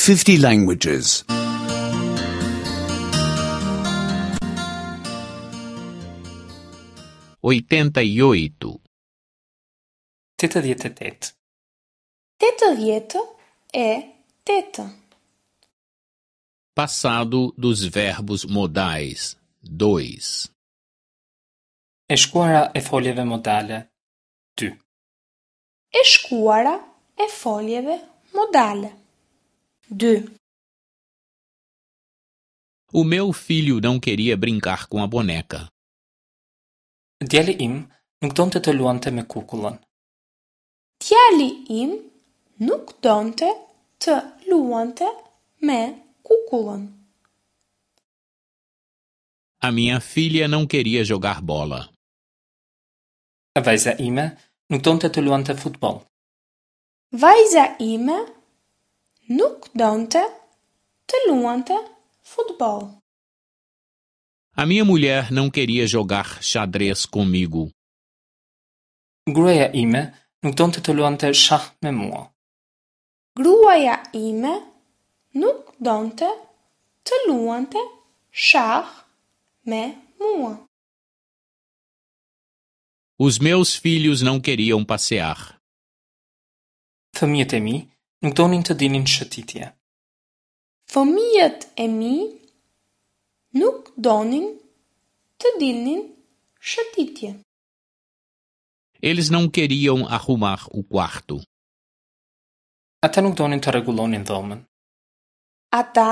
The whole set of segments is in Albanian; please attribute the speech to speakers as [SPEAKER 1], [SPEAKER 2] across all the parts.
[SPEAKER 1] 50 languages.
[SPEAKER 2] 88.
[SPEAKER 3] 88.
[SPEAKER 4] 88.
[SPEAKER 2] Passado dos verbos modais. 2.
[SPEAKER 3] E shkuara e foljeve modale. 2.
[SPEAKER 4] E shkuara e foljeve modale. 2.
[SPEAKER 2] O meu filho não queria brincar com a boneca.
[SPEAKER 3] Djali im nuk donte të luante me kukullën.
[SPEAKER 4] Djali im nuk donte të luante me kukullën.
[SPEAKER 2] A minha filha não queria jogar bola.
[SPEAKER 3] Vajza ime nuk donte të luante futboll.
[SPEAKER 4] Vajza ime nuk donte të luante futboll.
[SPEAKER 2] A minha mulher não queria jogar xadrez comigo.
[SPEAKER 3] Gruaja ime nuk donte të luante shah me mua.
[SPEAKER 4] Gruaja ime nuk donte të luante shah me mua.
[SPEAKER 2] Os meus filhos não queriam passear.
[SPEAKER 3] Fëmijët e mi nuk donin të dilnin shëtitje.
[SPEAKER 4] Fëmijët e mi nuk donin të dilnin shëtitje.
[SPEAKER 2] Eles não queriam arrumar o quarto.
[SPEAKER 3] Ata nuk donin të rregullonin dhomën.
[SPEAKER 4] Ata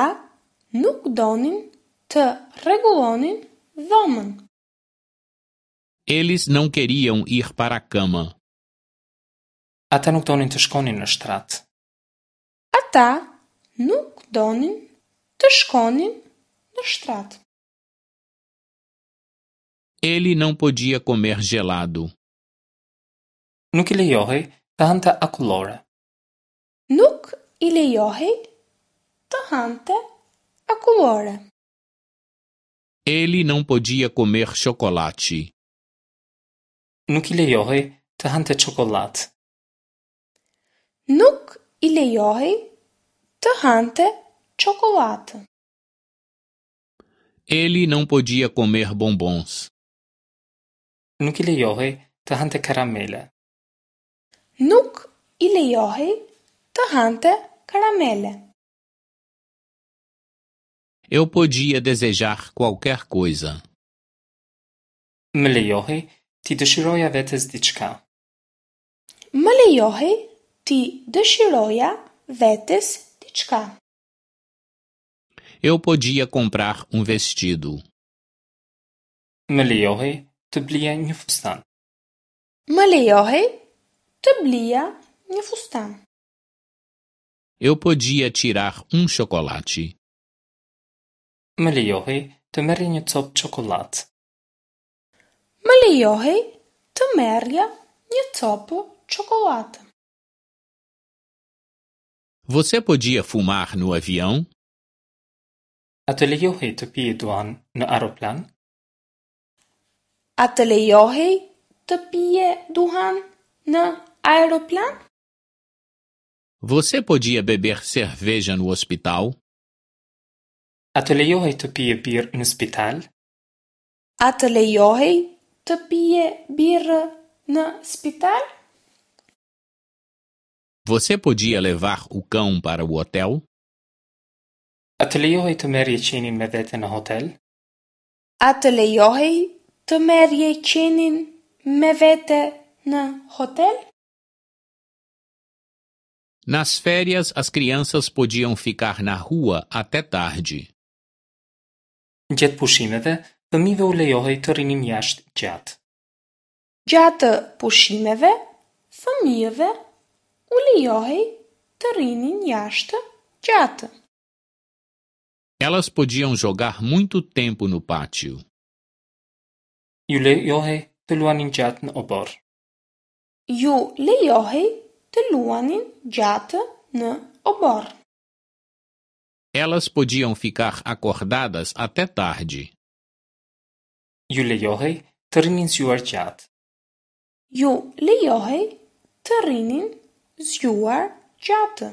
[SPEAKER 4] nuk donin të rregullonin dhomën.
[SPEAKER 2] Eles não queriam ir para a cama.
[SPEAKER 3] Ata nuk donin të shkonin në shtrat.
[SPEAKER 4] Ata nuk donin të shkonin në shtrat.
[SPEAKER 2] Ele não podia comer gelado.
[SPEAKER 3] Nuk i lejohej të hante akullore.
[SPEAKER 4] Nuk i lejohej të hante akullore.
[SPEAKER 2] Ele não podia comer chocolate.
[SPEAKER 3] Nuk i lejohej të hante çokollatë.
[SPEAKER 4] Nuk i lejohej të hante çokollatë.
[SPEAKER 2] Ele não podia comer bombons.
[SPEAKER 3] Nuk i lejohej të hante karamele.
[SPEAKER 4] Nuk i lejohej të hante karamele.
[SPEAKER 2] Eu podia desejar qualquer coisa.
[SPEAKER 3] Më lejohej t'i dëshiroja vetes diçka.
[SPEAKER 4] Më lejohej t'i dëshiroja vetes diçka.
[SPEAKER 2] Eu podia comprar um vestido.
[SPEAKER 3] Më lejohej të blija një fustan.
[SPEAKER 4] Më lejohej të blija një fustan.
[SPEAKER 2] Eu podia tirar um chocolate.
[SPEAKER 3] Më lejohej të merrja një copë çokollatë.
[SPEAKER 4] Më lejohej të merrja një copë çokollatë.
[SPEAKER 2] Você podia fumar no avião?
[SPEAKER 3] A të lejohej të pije duhan në aeroplan?
[SPEAKER 4] A të lejohej të pije duhan në aeroplan?
[SPEAKER 2] Você podia beber cerveja no hospital?
[SPEAKER 3] A të lejohej të pije birrë në spital?
[SPEAKER 4] A të lejohej të pije birrë në spital?
[SPEAKER 2] Você podia levar o cão para o hotel?
[SPEAKER 3] A të lejohej të merrje qenin me vete në hotel?
[SPEAKER 4] A të lejohej të merrje qenin me vete në hotel?
[SPEAKER 2] Nas férias, as crianças podiam ficar na rua até tarde.
[SPEAKER 3] Gjatë pushimeve, fëmijëve u lejohej të rrinin jashtë gjatë.
[SPEAKER 4] Gjatë pushimeve, fëmijëve u lejohej të rrinin jashtë gjatë.
[SPEAKER 2] Elas podiam jogar muito tempo no pátio.
[SPEAKER 3] Ju lejohej të luanin gjatë në oborr.
[SPEAKER 4] Ju lejohej të luanin gjatë në oborr.
[SPEAKER 2] Elas podiam ficar acordadas até tarde.
[SPEAKER 3] Ju lejohej të rrinin zgjuar gjatë.
[SPEAKER 4] Ju lejohej të rrinin zgjuar gjatë.